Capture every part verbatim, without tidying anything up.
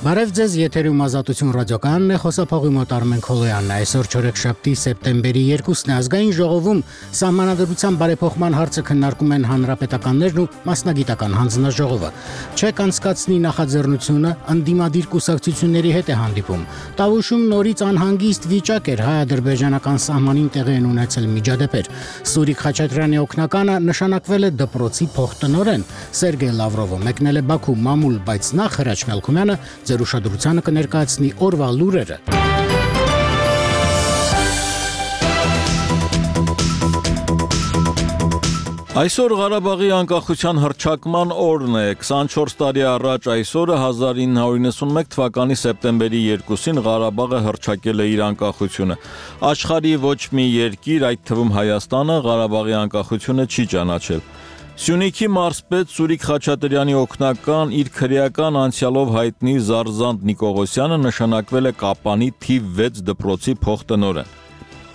Բարև ձեզ, եթերում Ազատություն ռադիոկայանն է, խոսափողի մոտ Արմեն Քոլոյանն է։ Այսօր չորեքշաբթի սեպտեմբերի երկուսն է, ազգային ժողովում սահմանադրության բարեփոխման հարցը քննարկում են հանրապետականներն ու մասնագիտական հանձնաժողովը։ Չեք անցկացնի նախաձեռնությունը ընդդիմադիր կուսակցությունների հետ է հանդիպում։ Տավուշում նորից անհանգիստ վիճակ էր, հայ-ադրբեջանական սահմանին տեղի են ունեցել միջադեպեր։ Սուրիկ Խաչատրյանի օգնականը նշանակվել է դպրոցի փոխտնօրեն։ Սերգեյ Լավրովը մեկնել է Բաքու մամուլ, բայց նախ Հրաչ Մելքումյանը ձեր ուշադրությանը կներկայացնի օրվա լուրերը։ Այսօր Ղարաբաղի անկախության հռչակման օրն է։ քսանչորս տարի առաջ այսօրը հազար ինը հարյուր իննսունմեկ թվականի սեպտեմբերի երկուսին Ղարաբաղը հռչակել է իր անկախությունը։ Աշխարհի ոչ մի երկիր, այդ թվում Հայաստանը, Ղարաբաղի անկախությունը չի ճանաչել։ Սյունիքի մարզպետ Սուրիկ Խաչատրյանի օգնական իր քրեական անցյալով հայտնի Զարզանտ Նիկողոսյանը նշանակվել է Կապանի թիվ վեց դպրոցի փոխտնօրեն։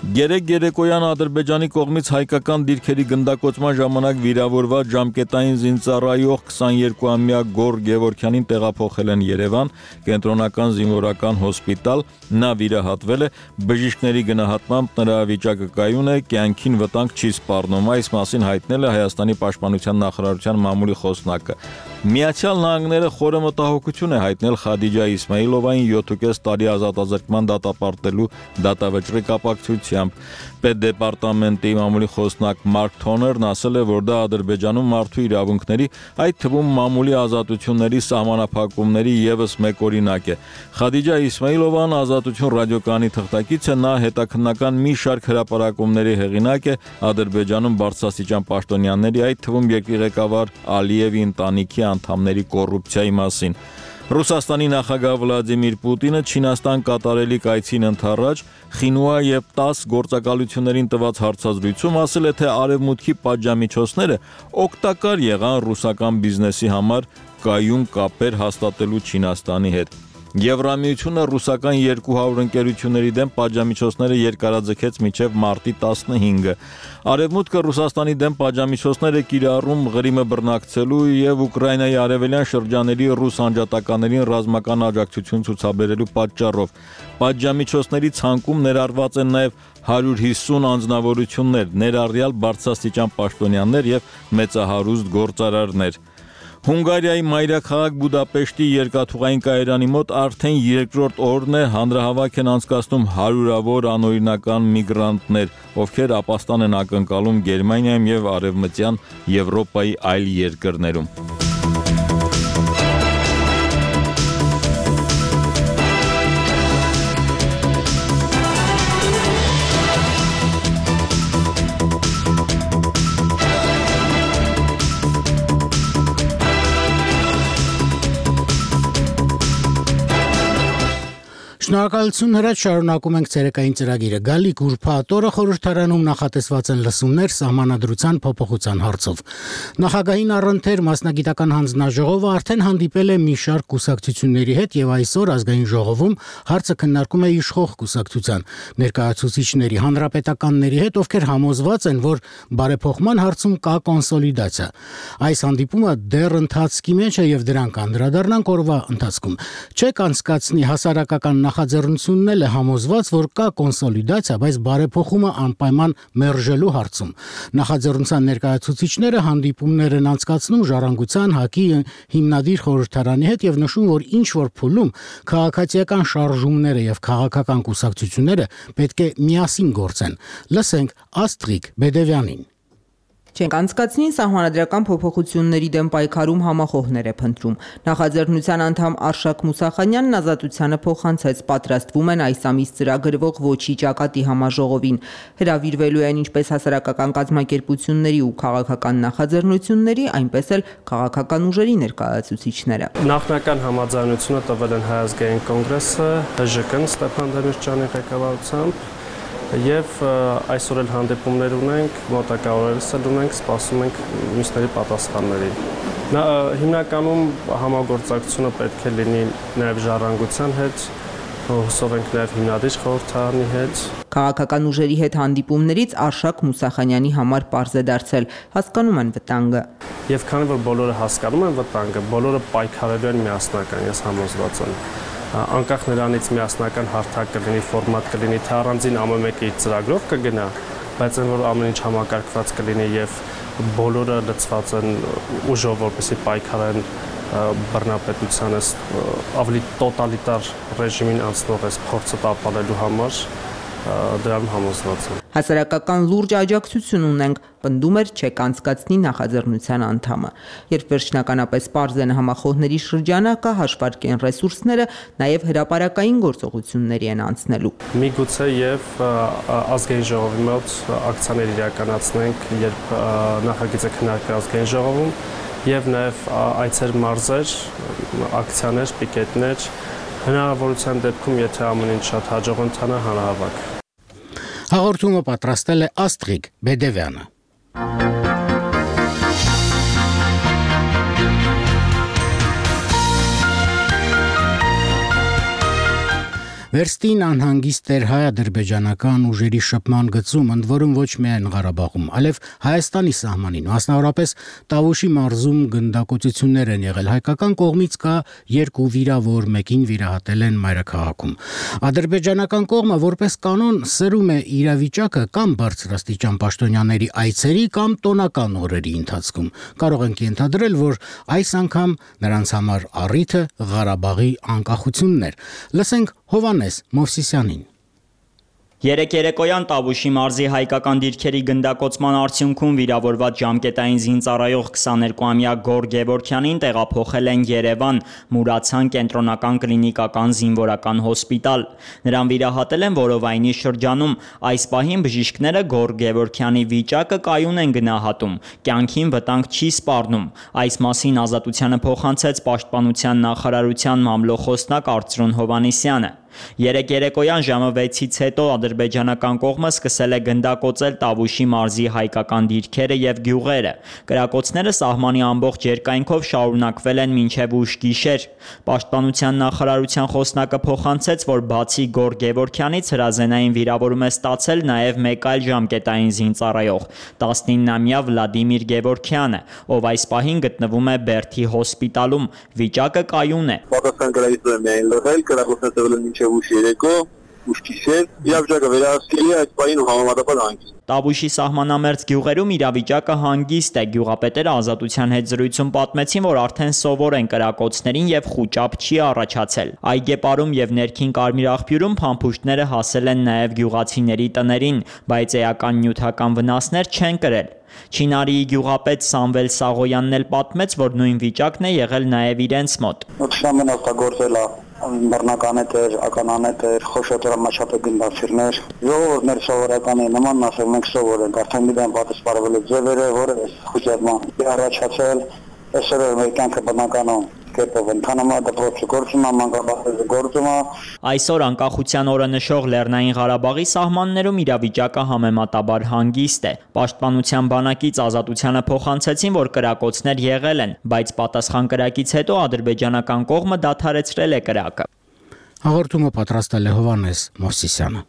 Գերեկ երեկոյան Ադրբեջանի կողմից հայկական դիրքերի գնդակոծման ժամանակ վիրավորված ժամկետային զինծառայող քսաներկուամյա Գոր Գևորգյանին տեղափոխել են Երևան, կենտրոնական զինվորական հոսպիտալ, նա վիրահատվել է, բժիշկների գնահատմամբ նրա վիճակը կայուն է, կյանքին վտանգ չի սպառնում, այս մասին հայտնել է Հայաստանի պաշտպանության նախարարության մամուլի խոսնակը։ Միացյալ Նահանգները խորը մտահոգություն է հայտնել Խադիջա Իսմայիլովային յոթ տարի ազատազրկման դատապարտելու դատավճռի կապակցությամբ։ Պետդեպարտամենտի մամուլի խոսնակ Մարկ Թոներն ասել է, որ դա Ադրբեջանում մարդու իրավունքների, այդ թվում մամուլի ազատությունների սահմանափակումների ևս մեկ օրինակ է։ Խադիջա Իսմայիլովան Ազատություն ռադիոկայանի թղթակից է, նա հետաքննական մի շարք հրապարակումների հեղինակ է Ադրբեջանում բարձրաստիճան պաշտոնյաների, այդ թվում երկրի ղեկավար Ալիևի ընտանիքի անդամների կոռուպցիայի մասին։ Ռուսաստանի նախագահ Վլադիմիր Պուտինը Չինաստան կատարելիք այցին ընդառաջ Խինուա եւ տաս գործակալություններին տված հարցազրույցում ասել է, թե արևմուտքի պատժամիջոցները օգտակար եղան ռուսական բիզնեսի համար կայուն կապեր հաստատելու Չինաստանի հետ։ Եվրամիությունը ռուսական երկու հարյուր ընկերությունների դեմ պատժամիջոցները երկարաձգեց մինչև մարտի տասնհինգը։ Արևմուտքը Ռուսաստանի դեմ պատժամիջոցները կիրառում Ղրիմը բռնակցելու եւ Ուկրաինայի արևելյան շրջանների ռուս անջատականներին ռազմական աջակցություն ցուցաբերելու պատճառով։ Պատժամիջոցների ցանկում ներառված են նաեւ հարյուր հիսուն անձնավորություններ, ներառյալ բարձրաստիճան պաշտոնյաներ եւ մեծահարուստ գործարարներ։ Հունգարիայի մայրաքաղաք Բուդապեշտի երկաթուղային կայարանի մոտ արդեն երկրորդ օրն է հանրահավաք են անցկացնում հարյուրավոր անօրինական միգրանտներ, ովքեր ապաստան են ակնկալում Գերմանիայում եւ Արևմտյան Եվրոպայի այլ երկրներում։ Շնորհակալություն Հրաչ, շարունակում ենք ցերեկային ծրագիրը։ Գալիք ուրբաթ օրը խորհրդարանում նախատեսված են լսումներ սահմանադրության փոփոխության հարցով։ Նախագահին առընթեր մասնագիտական հանձնաժողովը արդեն հանդիպել է մի շարք կուսակցությունների հետ եւ այսօր ազգային ժողովում հարցը քննարկում է իշխող կուսակցության ներկայացուցիչների, հանրապետականների հետ, ովքեր համոզված են, որ բարեփոխման հարցում կա կոնսոլիդացիա։ Այս հանդիպումը դեռ ընթացքի մեջ է եւ դրան կանդրադառնանք օրվա ընթացքում։ Չեք անցկացնի հասարակական նախաձեռնությունն էլ է համոզված, որ կա կոնսոլիդացիա, բայց բարեփոխումը անպայման մերժելու հարցում։ Նախաձեռնության ներկայացուցիչները հանդիպումներ են անցկացնում Ժառանգության, ՀԱԿ-ի հիմնադիր խորհրդարանի հետ եւ նշում, որ ինչ որ փուլում քաղաքացիական շարժումները եւ քաղաքական կուսակցությունները պետք է միասին գործեն։ Լսենք Աստրիկ Բեդևյանին։ Չենք անցկացնի սահմանադրական փոփոխությունների դեմ պայքարում համախոհներ է փնտրում։ Նախաձեռնության անդամ Արշակ Մուսախանյանն Ազատությանը փոխանցեց, պատրաստվում են այս ամիս ծրագրվող ոչի ճակատի համաժողովին։ Հրավիրվելու են ինչպես հասարակական կազմակերպությունների ու քաղաքական նախաձեռնությունների, այնպես էլ քաղաքական ուժերի ներկայացուցիչները։ Նախնական համաձայնությունը տվել են Հայ ազգային կոնգրեսը, ՀԺԿ-ն Ստեփան Դեմիրճյանի ղեկավարությամբ Եվ այսօր էլ հանդիպումներ ունենք, մոտակա օրերս էլ ունենք, սպասում ենք մյուսների պատասխաններին։ Հիմնականում համագործակցությունը պետք է լինի նաև Ժառանգության հետ, Հուսով ենք նաև հիմնադիր խորհրդարանի հետ։ Քաղաքական ուժերի հետ հանդիպումներից Արշակ Մուսախանյանի համար պարզ է դարձել, հասկանում են վտանգը։ Եվ քանի որ բոլորը հասկանում են վտանգը, բոլորը պայքարելու են միասնական, ես համոզված եմ։ Անկախ նրանից միասնական հարթակ կլինի, ֆորմատ կլինի, թե առանձին ամեն մեկը իր ծրագրով կգնա, բայց այն որ ամեն ինչ համակարգված կլինի եւ բոլորը լծված են ուժով, որպեսզի պայքարեն բռնապետությանը ավելի տոտալիտար ռեժիմին անցնող այս փորձը տապալելու համար, դրան համոզված եմ։ Հասարակական լուրջ աջակցություն ունենք, պնդում էր չեք անցկացնի նախաձեռնության անդամը։ Երբ վերջնականապես պարզ են համախոհների շրջանակը, հաշվարկեն ռեսուրսները, նաև հրապարակային գործողությունների են անցնելու։ Միգուցե եւ ազգային ժողովի մոտ ակցիաներ իրականացնենք, երբ նախագիծը քննարկվի ազգային ժողովում, եւ նաեւ այցեր մարզեր, ակցիաներ, պիկետներ, հնարավորության դեպքում, եթե ամեն ինչ շատ հաջող ընթանա, հանրահավաք։ Հաղորդումը պատրաստել է Աստղիկ Բեդևյանը։ Վերստին անհանգիստ էր հայ-ադրբեջանական ուժերի շփման գծում, ընդ որում ոչ միայն Ղարաբաղում, այլև Հայաստանի սահմանին, մասնավորապես Տավուշի մարզում գնդակոծություններ են եղել։ Հայկական կողմից կա երկու վիրավոր, մեկին վիրահատել են մայրաքաղաքում։ Ադրբեջանական կողմը որպես կանոն սրում է իրավիճակը կամ բարձրաստիճան պաշտոնյաների այցերի կամ տոնական օրերի ընթացքում։ Կարող ենք ենթադրել, որ այս անգամ նրանց համար առիթը Ղարաբաղի անկախությունն էր։ Լսենք Հովանես Մովսիսյանին։ Երեկ երեկոյան Տավուշի մարզի հայկական դիրքերի գնդակոծման արդյունքում վիրավորված ժամկետային զինծառայող քսաներկուամյա Գոր Գևորգյանին տեղափոխել են Երևան Մուրացան կենտրոնական կլինիկական զինվորական հոսպիտալ։ Նրան վիրահատել են որովայնի շրջանում։ Այս պահին բժիշկները Գոր Գևորգյանի վիճակը կայուն են գնահատում, կյանքին վտանգ չի սպառնում։ Այս մասին Ազատությանը փոխանցեց Պաշտպանության նախարարության մամլոխոսնակ Արծրուն Հովանեսյանը։ Երեկ երեկոյան ժամը վեցից հետո ադրբեջանական կողմը սկսել է գնդակոծել Տավուշի մարզի հայկական դիրքերը եւ գյուղերը։ Կրակոցները սահմանի ամբողջ երկայնքով շարունակվել են մինչեւ ուշ գիշեր։ Պաշտպանության նախարարության խոսնակը փոխանցեց, որ բացի Գոր Գևորգյանից հրազենային վիրավորում է ստացել նաեւ մեկ այլ ժամկետային զինծառայող՝ տասնիննամյա Վլադիմիր Գևորգյանը, ով այս պահին գտնվում է Բերդի հոսպիտալում։ Վիճակը կայուն է։ Ուշ երեկո, ուշ գիշեր, իրավիճակը վերահսկելի է այդ պահին ու համեմատաբար հանգիստ։ Տավուշի սահմանամերձ գյուղերում իրավիճակը հանգիստ է։ Գյուղապետերը Ազատության հետ զրույցում պատմեցին, որ արդեն սովոր են կրակոցներին եւ խուճապ չի առաջացել։ Այգեպարում եւ ներքին Կարմիր աղբյուրում փամփուշտները հասել են նաեւ գյուղացիների տներին, բայց էական նյութական վնասներ չեն կրել։ Չինարիի գյուղապետ Սամվել Սաղոյանն էլ պատմեց, որ նույն վիճակն է եղել նաեւ իրենց մոտ։ Բռնականետեր, ականանետեր, խոշոտորամաչապե գնդացիրներ, ժողովուրդներ սովորական է, նման ասել մենք սովոր ենք, արդեն գիտեն պատասխանելու ձևերը, որը խուճապման առաջացել, այսօր մեր կյանքը բնականon կերպով ընթանում է, դպրոցը գործում է, մանկաբարձը գործում է։ Այսօր անկախության օրը նշող Լեռնային Ղարաբաղի սահմաններում իրավիճակը համեմատաբար հանգիստ է։ Պաշտպանության բանակից Ազատությանը փոխանցեցին, որ կրակոցներ եղել են, բայց պատասխան կրակից հետո ադրբեջանական կողմը դադարեցրել է կրակը։ Հաղորդումը պատրաստել է Հովանես Մովսիսյանը։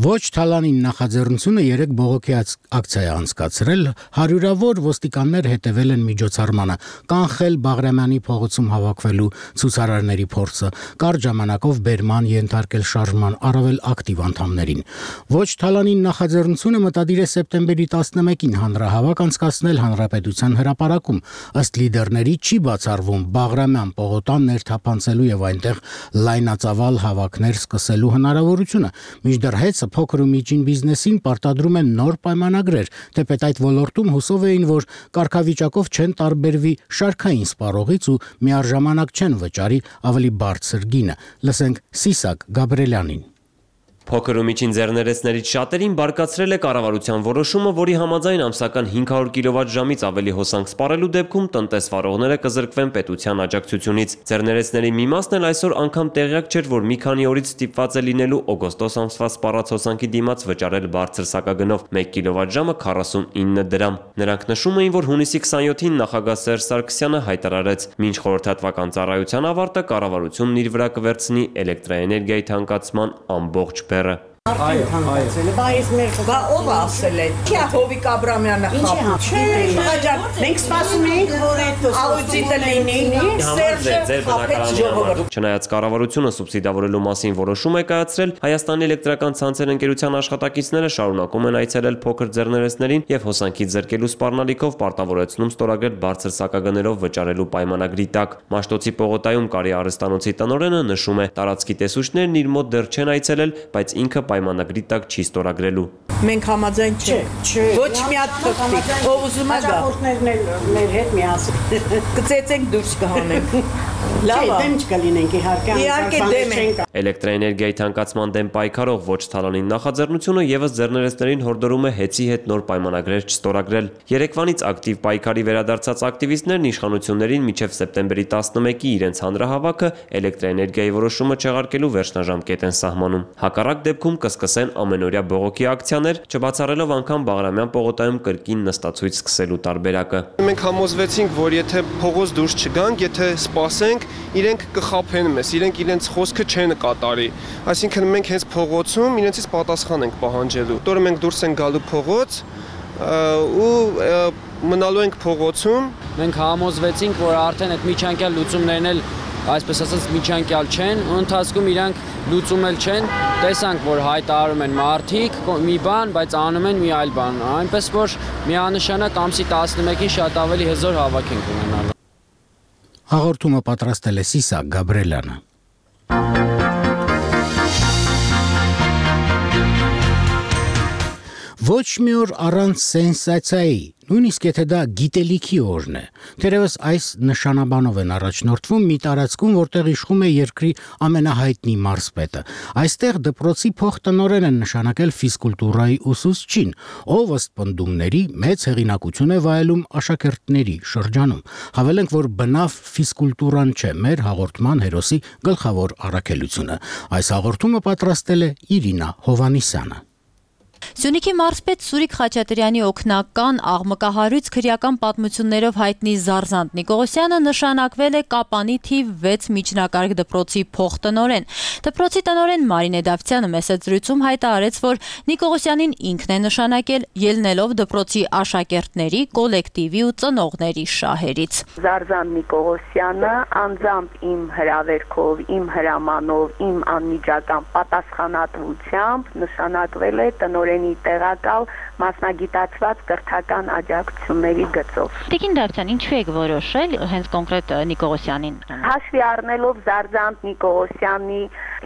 Ոչ Թալանին նախաձեռնությունը երեք բողոքի ակցիա է անցկացրել, հարյուրավոր ոստիկաններ հետևել են միջոցառմանը, կանխել Բաղրամյանի փողոցում հավաքվելու ցուցարարների փորձը, կարճ ժամանակով բերման ենթարկել շարժման առավել ակտիվ անդամներին։ Ոչ Թալանին նախաձեռնությունը մտադիր է սեպտեմբերի տասնմեկին հանրահավաք անցկացնել Հանրապետության հրապարակում։ Ըստ լիդերների չի բացառվում Բաղրամյան պողոտան ներթափանցելու եւ այնտեղ լայնածավալ հավաքներ սկսելու հնարավորությունը։ Մինչդեռ հեծը փոքր ու միջին բիզնեսին պարտադրում են նոր պայմանագրեր, թեպետ այդ ոլորտում հուսով էին, որ կարգավիճակով չեն տարբերվի շարքային սպառողից ու միառժամանակ չեն վճարի ավելի բարձր գինը։ Լսենք Սիսակ Գաբրելյանին։ Փոքր ու միջին ձեռներեցներից շատերին բարկացրել է կառավարության որոշումը, որի համաձայն ամսական հինգ հարյուր կիլովատ-ժամից ավելի հոսանք սպառելու դեպքում տնտեսվարողները կզրկվեն պետության աջակցությունից։ Ձեռներեցների մի մասն էլ այսօր անգամ տեղյակ չէր, որ մի քանի օրից ստիպված է լինելու օգոստոս ամսվա սպառած հոսանքի դիմաց վճարել բարձր սակագնով մեկ կիլովատ-ժամը քառասունինը դրամ։ Նրանք նշում էին, որ հունիսի քսաներկուին նախագահ Սերժ Սարգսյանը հայտարարեց, մինչ խորհրդատվական ծառայության ավարտը կառավարությունն իր վրա կվերցնի էլեկտրաէներգիայի թանկացման ամբողջ բեռը։ Այո, այո։ Բայց մեր կա ով ասել է։ Չի Հովիկ Աբրամյանը խափում։ Չէ, հաջող։ Մենք սպասում էինք, որ այդ աուդիտը լինի։ Սերժը խափեց ժողովուրդը։ Չնայած կառավարությունը սուբսիդավորելու մասին որոշում է կայացրել, Հայաստանի էլեկտրական ցանցեր ընկերության աշխատակիցները շարունակում են այցելել փոքր ձեռներեցներին եւ հոսանքից զրկելու սպառնալիքով պարտավորեցնում ստորագրել բարձր սակագներով վճարելու պայմանագրի տակ։ Մաշտոցի Պողոտայում Կարի արհեստանոցի տնօրենը նշում է, տարածքի տեսուչներն իր մոտ դեռ չեն այցելել, բայց ինքը պայմանագրի տակ չի ստորագրելու։ Մենք համաձայն չենք։ Ոչ մի հատ թղթի, ով ուզում է գա։ Հաջողություններն էլ մեր հետ միասին։ Կծեծենք դուրս կհանենք։ Լավ, դեմ չկլինենք իհարկե։ Իհարկե դեմ ենք։ Էլեկտրաէներգիայի թանկացման դեմ պայքարող ոչ թալանին նախաձեռնությունը եւս ձեռներեցներին հորդորում է հեծի հետ նոր պայմանագրեր չստորագրել։ Երեկվանից ակտիվ պայքարի վերադարձած ակտիվիստներն իշխանություններին մինչև սեպտեմբերի տասնմեկի իրենց հանրահավաքը էլեկտրաէներգիայի որոշումը չեղարկելու վերջնաժամկետ են սահմանում։ Հակառակ դեպքում կսկսեն ամենօրյա բողոքի ակցիաներ, չբացառելով անգամ Բաղրամյան պողոտայում կրկին նստածույց սկսելու տարբերակը։ Մենք համոզվեցինք, որ եթե փողոց դուրս չգանք, եթե սպասենք, իրենք կխափեն մեզ, իրենք իրենց խոսքը չեն կատարի։ Այսինքն մենք հենց փողոցում իրենցից պատասխան ենք պահանջելու։ Որը մենք դուրս ենք գալու փողոց ու մնալու ենք փողոցում։ Մենք համոզվեցինք, որ արդեն այդ միջանկյալ լուծումներն էլ այսպես ասած միջանկյալ չեն, ու ընթացքում իրանք լուծում էլ չեն, տեսանք, որ հայտարարում են մարդիկ մի բան, բայց անում են մի այլ բան, այնպես որ միանշանակ ամսի տասնմեկին շատ ավելի հզոր հավաք ենք ունենալու։ Հաղորդումը պատրաստել է Սիսակ Գաբրելյանը։ Ոչ մի օր առանց սենսացիայի, նույնիսկ եթե դա գիտելիքի օրն է։ Թերևս այս նշանաբանով են առաջնորդվում մի տարածքում, որտեղ իշխում է երկրի ամենահայտնի մարզպետը։ Այստեղ դպրոցի փոխտնօրեն են նշանակել ֆիզկուլտուրայի ուսուցչին, ով ըստ պնդումների մեծ հեղինակություն է վայելում աշակերտների շրջանում։ Հավելենք, որ բնավ ֆիզկուլտուրան չէ մեր հաղորդման հերոսի գլխավոր առաքելությունը։ Այս հաղորդումը պատրաստել է Իրինա Հովանիսյանը։ Սյունիքի մարզպետ Սուրիկ Խաչատրյանի օգնական աղմկահարույց քրեական պատմություններով հայտնի Զարզանտ Նիկողոսյանը նշանակվել է Կապանի թիվ վեց միջնակարգ դպրոցի փոխտնօրեն։ Դպրոցի տնօրեն Մարինե Դավթյանը մեսեջրույցում հայտարարեց, որ Նիկողոսյանին ինքն է նշանակել, ելնելով դպրոցի աշակերտների, կոլեկտիվի ու ծնողների շահերից։ Զարզանտ Նիկողոսյանը անձամբ իմ հրավերքով, իմ հրամանով, իմ անմիջական պատասխանատվությամբ նշանակվել է տնօրեն տեղակալ մասնագիտացված կրթական աջակցությունների գծով։ Տիկին Դավթյան, ինչու եք որոշել հենց կոնկրետ Նիկողոսյանին։ Հաշվի առնելով Զարզանտ Նիկողոսյանի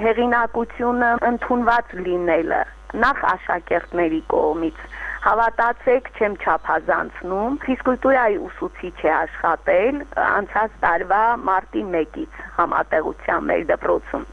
հեղինակությունը ընդունված լինելը նախ աշակերտների կողմից, հավատացեք, չեմ չափազանցնում, ֆիզկուլտուրայի ուսուցիչ է աշխատել անցած տարվա մարտի մեկից համատեղության մեր դպրոցում։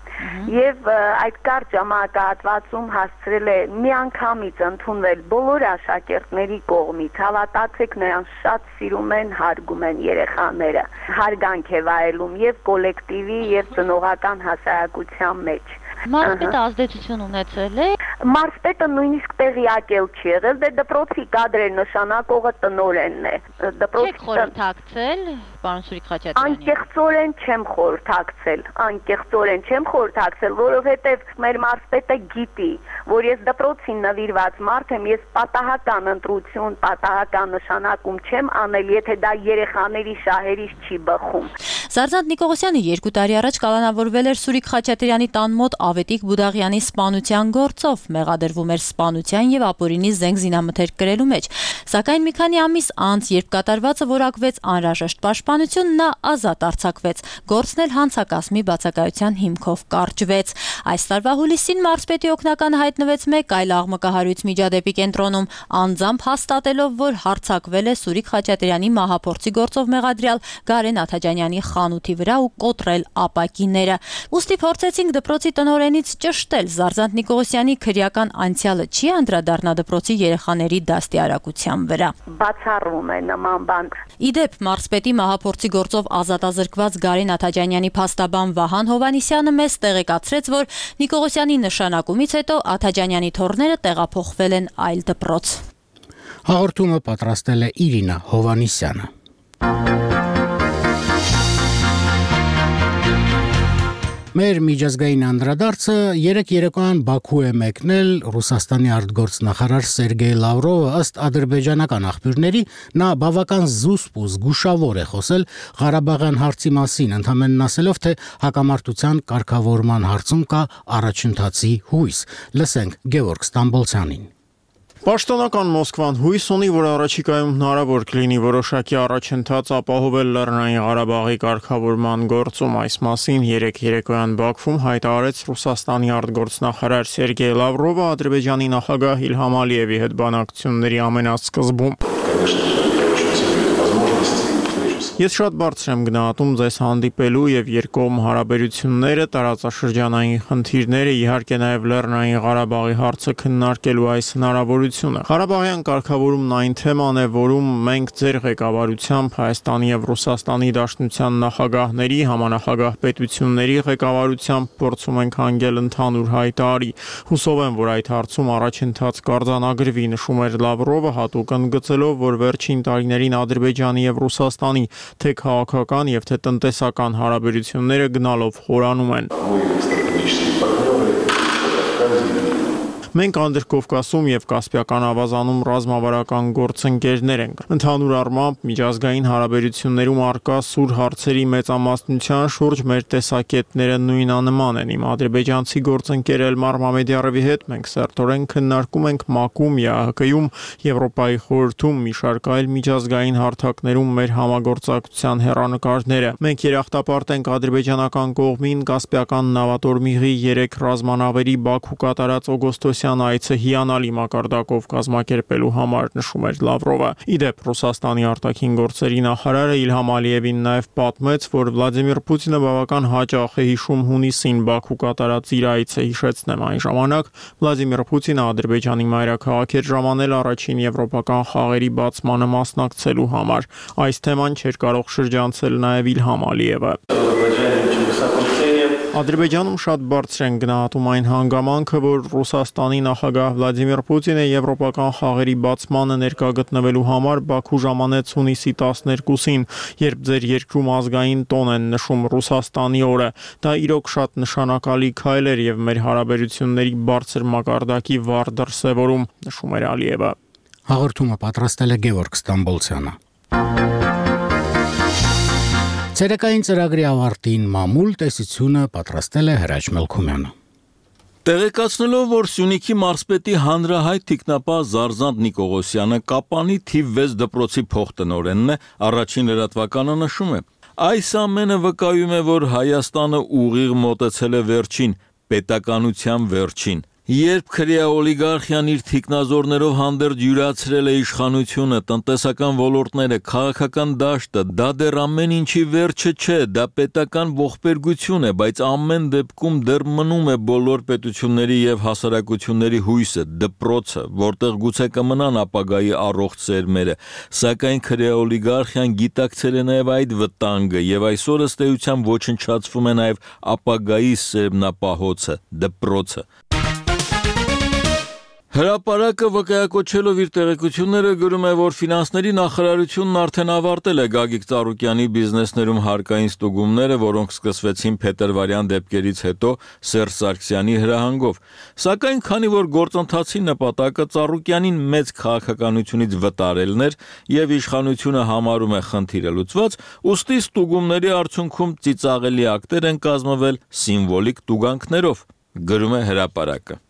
Եվ այդ կարճ ժամանակահատվածում հասցրել է միանգամից ընդունվել բոլոր աշակերտների կողմից, հավատացեք, նրան շատ սիրում են, հարգում են երեխաները, հարգանք է վայելում եւ կոլեկտիվի եւ ծնողական հասարակության մեջ։ Մարզպետը ազդեցություն ունեցել է։ Մարզպետը նույնիսկ տեղյակ էլ չի եղել, դե դպրոցի կադրեր նշանակողը տնօրենն է։ Չեք խորհրդակցել, պարոն Սուրիկ Խաչատրյանի։ Անկեղծորեն չեմ խորհրդակցել, անկեղծորեն չեմ խորհրդակցել, որովհետև մեր մարզպետը գիտի, որ ես դպրոցին նվիրված մարդ եմ, ես պատահական ընտրություն, պատահական նշանակում չեմ անել, եթե դա երեխաների շահերից չի բխում։ Զարզանտ Նիկողոսյանը երկու տարի առաջ կալանավորվել էր Սուրիկ Խաչատրյանի տան մոտ Ավետիք Բուդաղյանի սպանության գործով, մեղադրվում էր սպանության եւ ապօրինի զենք զինամթերք կրելու մեջ։ Սակայն մի քանի ամիս անց, երբ կատարվածը որակվեց անհրաժեշտ պաշտպանություն, նա ազատ արձակվեց։ Գործն էլ հանցակազմի բացակայության հիմքով կարճվեց։ Այս տարվա հուլիսին մարզպետի օգնականը հայտնվեց մեկ այլ աղմկահարույց միջադեպի կենտրոնում, անձամբ հաստատելով, որ հարձակվել է Սուրիկ Խաչատրյանի մահափորձի գործով մեղադրյալ Գարեն Աթաջանյանի խանութի վրա ու կոտրել ապակիները։ Ուստի փորձեցինք դպրոցի տնօրենից ճշտել Զարզանտ Նիկողոսյանի քրեական անցյալը չի անդրադառնա դպրոցի երեխաների դաստիարակության վրա։ Բացառում է նման բան։ Իդեպ մարզպետի մահափորձի գործով ազատազրկված Գարեն Աթաջանյանի փաստաբան Վահան Հովանիսյանը մեզ տեղեկացրեց, որ Նիկողոսյանի նշանակումից հետո Աթաջանյանի թոռները տեղափոխվել են այլ դպրոց։ Հաղորդումը պատրաստել է Իրինա Հովանիսյանը։ Մեր միջազգային անդրադարձը երեք երեկոյան Բաքու է մեկնել Ռուսաստանի արտգործնախարար Սերգեյ Լավրովը ըստ ադրբեջանական աղբյուրների նա բավական զուսպ ու զգուշավոր է խոսել Ղարաբաղյան հարցի մասին, ընդհանրեն ասելով, թե հակամարտության կարգավորման հարցում կա առաջընթացի հույս։ Լսենք Գևորգ Ստամբոլցյանին։ Պաշտոնական Մոսկվան հույս ունի, որ առաջիկայում հնարավոր կլինի որոշակի առաջընթաց ապահովել Լեռնային Ղարաբաղի կարգավորման գործում։ Այս մասին երեք երեկոյան Բաքվում հայտարարեց Ռուսաստանի արտգործնախարար Սերգեյ Լավրովը Ադրբեջանի նախագահ Իլհամ Ալիևի հետ բանակցությունների ամենասկզբում։ Ես շատ բարձր եմ գնահատում ձեզ հանդիպելու եւ երկկողմ հարաբերությունները, տարածաշրջանային խնդիրները, իհարկե նաեւ Լեռնային Ղարաբաղի հարցը քննարկելու այս հնարավորությունը։ Ղարաբաղյան կարգավորումն այն թեման է, որում մենք ձեր ղեկավարությամբ Հայաստանի եւ Ռուսաստանի Դաշնության նախագահների, համանախագահ պետությունների ղեկավարությամբ փորձում ենք հանգել ընդհանուր հայտարարի։ Հուսով եմ, որ այդ հարցում առաջընթաց կարձանագրվի, նշում էր Լավրովը, հատուկ ընդգծելով, որ վերջին տարիներին Ադրբեջանի եւ Ռուսաստանի թե քաղաքական եւ թե տնտեսական հարաբերությունները գնալով խորանում են։ Մենք Անդրկովկասում եւ Կասպիական ավազանում ռազմավարական գործընկերներ ենք։ Ընդհանուր առմամբ միջազգային հարաբերություններում արկա սուր հարցերի մեծամասնության շուրջ մեր տեսակետները նույնանման են։ Իմ ադրբեջանցի գործընկեր Էլմար Մամեդյարովի հետ մենք սերտորեն քննարկում ենք ՄԱԿ-ում, ԵԱՀԿ-ում, Եվրոպայի խորհրդում, մի շարք այլ միջազգային հարթակներում մեր համագործակցության հեռանկարները։ Մենք երախտապարտ ենք ադրբեջանական կողմին Կասպիական նավատորմիղի երեք ռազմանավերի Բաքու կատարած օգոստոսի այցը հիանալի մակարդակով կազմակերպելու համար, նշում էր Լավրովը։ Իդեպ Ռուսաստանի արտաքին գործերի նախարարը Իլհամ Ալիևին նաև պատմեց, որ Վլադիմիր Պուտինը բավական հաճախ է հիշում հունիսին Բաքու կատարած իր այցը, հիշեցնեմ այն ժամանակ Վլադիմիր Պուտինը Ադրբեջանի մայրաքաղաք էր ժամանել առաջին եվրոպական խաղերի բացմանը մասնակցելու համար։ Այս թեման չէր կարող շրջանցել նաև Իլհամ Ալիևը։ Ադրբեջանում շատ բարձր են գնահատում այն հանգամանքը, որ Ռուսաստանի նախագահ Վլադիմիր Պուտինը եվրոպական խաղերի բացմանը ներկա գտնվելու համար Բաքու ժամանեց հունիսի տասներկուսին, երբ ձեր երկրում ազգային տոն են նշում Ռուսաստանի օրը։ Դա իրոք շատ նշանակալի քայլ էր եւ մեր հարաբերությունների բարձր մակարդակի վառ դրսևորում, նշում էր Ալիևը։ Հաղորդումը պատրաստել է Գևորգ Ստամբոլցյանը։ Ցերեկային ծրագրի ավարտին մամուլ տեսությունը պատրաստել է Հրաչ Մելքումյանը։ Տեղեկացնելով, որ Սյունիքի մարզպետի հանրահայտ թիկնապահ Զարզանտ Նիկողոսյանը Կապանի թիվ վեց դպրոցի փոխտնօրենն է, առաջին լրատվականը նշում է. այս ամենը վկայում է, որ Հայաստանը ուղիղ մոտեցել է վերջին, պետականության վերջին։ Երբ քրեա օլիգարխիան իր թիկնազորներով հանդերձ յուրացրել է իշխանությունը, տնտեսական ոլորտները, քաղաքական դաշտը, դա դեռ ամեն ինչի վերջը չէ, դա պետական ողբերգություն է, բայց ամեն դեպքում դեռ մնում է բոլոր պետությունների եւ հասարակությունների հույսը, դպրոցը, որտեղ գուցե կմնան ապագայի առողջ սերմերը, սակայն քրեա օլիգարխիան գիտակցել է նաեւ այդ վտանգը եւ այսօր ըստ էության ոչնչացվում է նաեւ ապագայի սերմնապահոցը, դպրոցը։ Հրապարակը վկայակոչելով իր տեղեկությունները գրում է, որ ֆինանսների նախարարությունն արդեն ավարտել է Գագիկ Ծառուկյանի բիզնեսներում հարկային ստուգումները, որոնք սկսվեցին փետրվարյան դեպքերից հետո Սերժ Սարգսյանի հրահանգով։ Սակայն քանի որ գործընթացի նպատակը Ծառուկյանին մեծ քաղաքականությունից վտարելն էր եւ իշխանությունը համարում է խնդիրը լուծված, ուստի ստուգումների արդյունքում ծիծաղելի ակտեր են կազմվել սիմվոլիկ տուգանքներով, գրում է հրապարակը։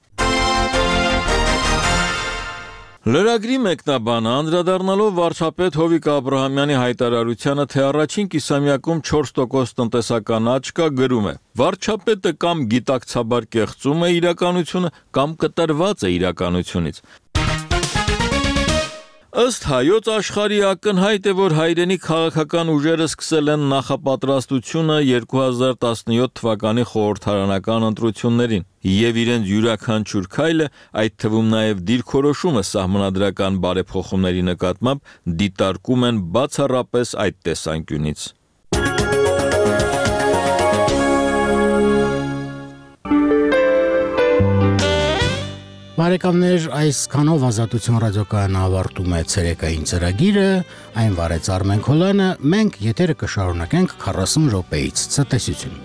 Լրագրի մեկնաբանը անդրադառնալով վարչապետ Հովիկ Աբրահամյանի հայտարարությանը, թե առաջին կիսամյակում չորս տոկոս տնտեսական աճ կա, գրում է. վարչապետը կամ գիտակցաբար կեղծում է իրականությունը, կամ կտրված է իրականությունից։ Ըստ Հայոց Աշխարհի ակնհայտ է, որ հայրենի քաղաքական ուժերը սկսել են նախապատրաստությունը երկու հազար տասնյոթ թվականի խորհրդարանական ընտրություններին եւ իրենց յուրաքանչյուր քայլը, այդ թվում նաեւ դիրքորոշումը սահմանադրական բարեփոխումների նկատմամբ դիտարկում են բացառապես այդ տեսանկյունից։ Բարեկամներ, այսքանով Ազատություն ռադիոկայանը ավարտում է ցերեկային ծրագիրը, այն վարեց Արմեն Քոլյանը, մենք եթերը կշարունակենք քառասուն րոպեից։ Ցտեսություն։